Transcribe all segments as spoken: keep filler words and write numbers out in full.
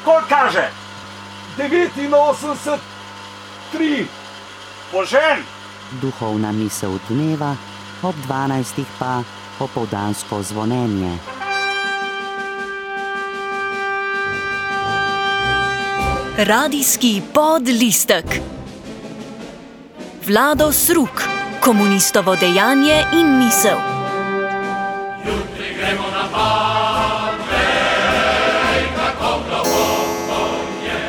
Koliko kaže? devetinosemdeset, tri. Požen! Duhovna misel dneva, ob dvanajstih pa popoldansko zvonjenje. Radijski podlistek. Vlado Sruk, komunistovo dejanje in misel. Jutri gremo na Parnej, kako globoko je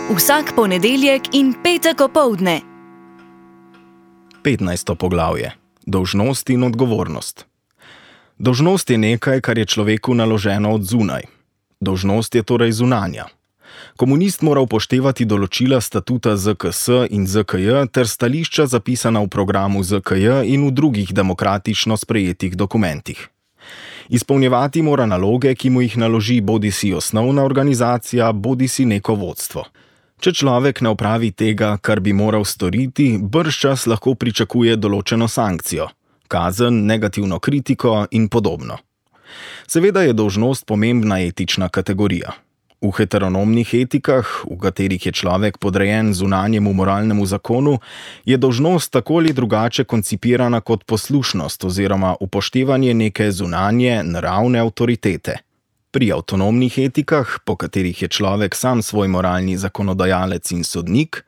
nebo. Vsak ponedeljek in petek opoldne. petnajsto poglavje. Dolžnost in odgovornost. Dolžnost je nekaj, kar je človeku naloženo od zunaj. Dolžnost je torej zunanja. Komunist mora upoštevati določila statuta Z K S in Z K J ter stališča zapisana v programu Z K J in v drugih demokratično sprejetih dokumentih. Izpolnjevati mora naloge, ki mu jih naloži bodisi osnovna organizacija, bodisi neko vodstvo. Če človek ne opravi tega, kar bi moral storiti, bržčas lahko pričakuje določeno sankcijo, kazen, negativno kritiko in podobno. Seveda je dolžnost pomembna etična kategorija. V heteronomnih etikah, v katerih je človek podrejen zunanjemu moralnemu zakonu, je dolžnost tako ali drugače koncipirana kot poslušnost oziroma upoštevanje neke zunanje, naravne avtoritete. Pri avtonomnih etikah, po katerih je človek sam svoj moralni zakonodajalec in sodnik,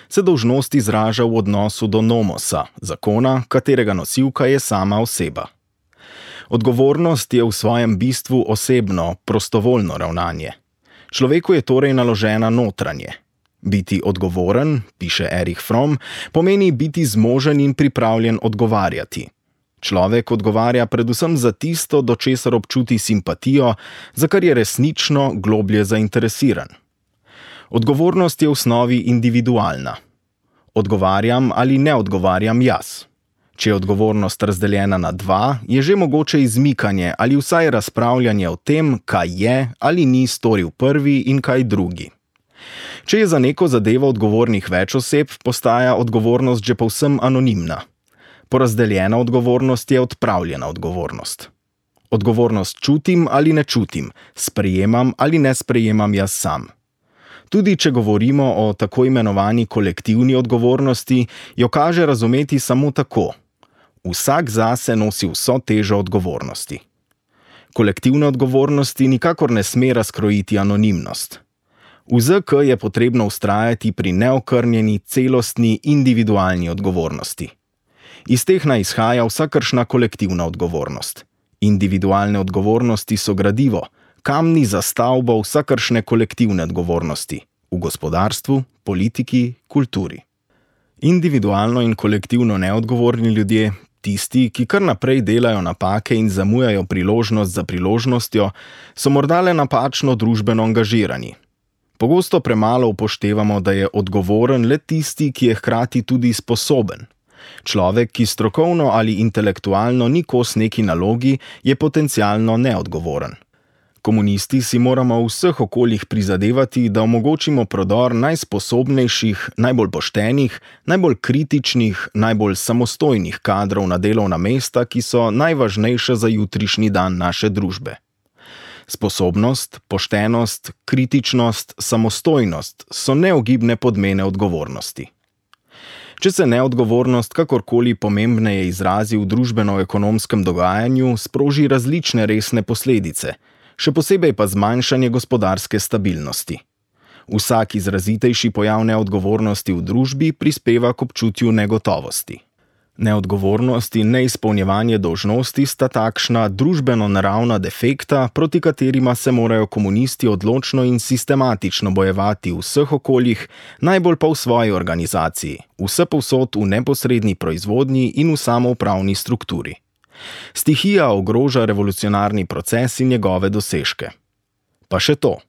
se dolžnost izraža v odnosu do nomosa, zakona, katerega nosilka je sama oseba. Odgovornost je v svojem bistvu osebno, prostovoljno ravnanje. Človeku je torej naložena notranje. Biti odgovoren, piše Erich Fromm, pomeni biti zmožen in pripravljen odgovarjati. Človek odgovarja predvsem za tisto, do česar občuti simpatijo, za kar je resnično globlje zainteresiran. Odgovornost je v osnovi individualna. Odgovarjam ali ne odgovarjam jaz. Če je odgovornost razdeljena na dva, je že mogoče izmikanje ali vsaj razpravljanje o tem, kaj je ali ni storil prvi in kaj drugi. Če je za neko zadevo odgovornih več oseb, postaja odgovornost že povsem anonimna. Porazdeljena odgovornost je odpravljena odgovornost. Odgovornost čutim ali ne čutim, sprejemam ali ne sprejemam jaz sam. Tudi če govorimo o tako imenovani kolektivni odgovornosti, jo kaže razumeti samo tako. Vsak zase nosi vso težo odgovornosti. Kolektivne odgovornosti nikakor ne sme razkrojiti anonimnost. V Z K je potrebno vztrajati pri neokrnjeni, celostni, individualni odgovornosti. Iz teh naj izhaja vsakršna kolektivna odgovornost. Individualne odgovornosti so gradivo, kamni za stavbo vsakršne kolektivne odgovornosti v gospodarstvu, politiki, kulturi. Individualno in kolektivno neodgovorni ljudje, tisti, ki kar naprej delajo napake in zamujajo priložnost za priložnostjo, so morda le napačno družbeno angažirani. Pogosto premalo upoštevamo, da je odgovoren le tisti, ki je hkrati tudi sposoben. Človek, ki strokovno ali intelektualno ni kos neki nalogi, je potencialno neodgovoren. Komunisti si moramo v vseh okoljih prizadevati, da omogočimo prodor najsposobnejših, najbolj poštenih, najbolj kritičnih, najbolj samostojnih kadrov na delovna mesta, ki so najvažnejša za jutrišnji dan naše družbe. Sposobnost, poštenost, kritičnost, samostojnost so neogibne podmene odgovornosti. Če se neodgovornost kakorkoli pomembneje izrazi v družbeno-ekonomskem dogajanju, sproži različne resne posledice, še posebej pa zmanjšanje gospodarske stabilnosti. Vsak izrazitejši pojav neodgovornosti v družbi prispeva k občutju negotovosti. Neodgovornost in neizpolnjevanje dolžnosti sta takšna družbeno-naravna defekta, proti katerima se morajo komunisti odločno in sistematično bojevati v vseh okoljih, najbolj pa v svoji organizaciji, vsepovsod v neposredni proizvodnji in v samoupravni strukturi. Stihija ogroža revolucionarni proces in njegove dosežke. Pa še to.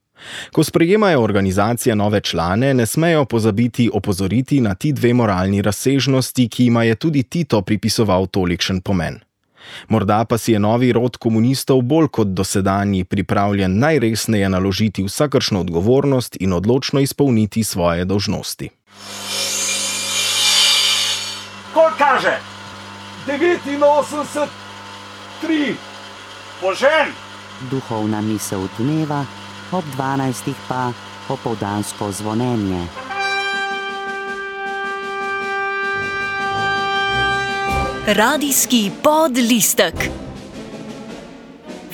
Ko sprejemajo organizacije nove člane, ne smejo pozabiti opozoriti na ti dve moralni razsežnosti, ki jima je tudi Tito pripisoval tolikšen pomen. Morda pa si je novi rod komunistov bolj kot dosedanji pripravljen najresneje naložiti vsakršno odgovornost in odločno izpolniti svoje dolžnosti. Koliko kaže? devetinosemdeset, tri. Požen! duhovna misel dneva, ob dvanajstih pa popoldansko zvonjenje. Radijski podlistek.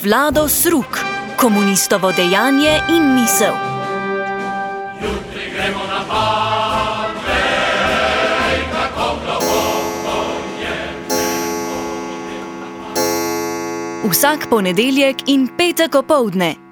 Vlado Sruk, komunistovo dejanje in misel. Jutri gremo na pad, vej, kako globoko je nebo. Vsak ponedeljek in petek opoldne.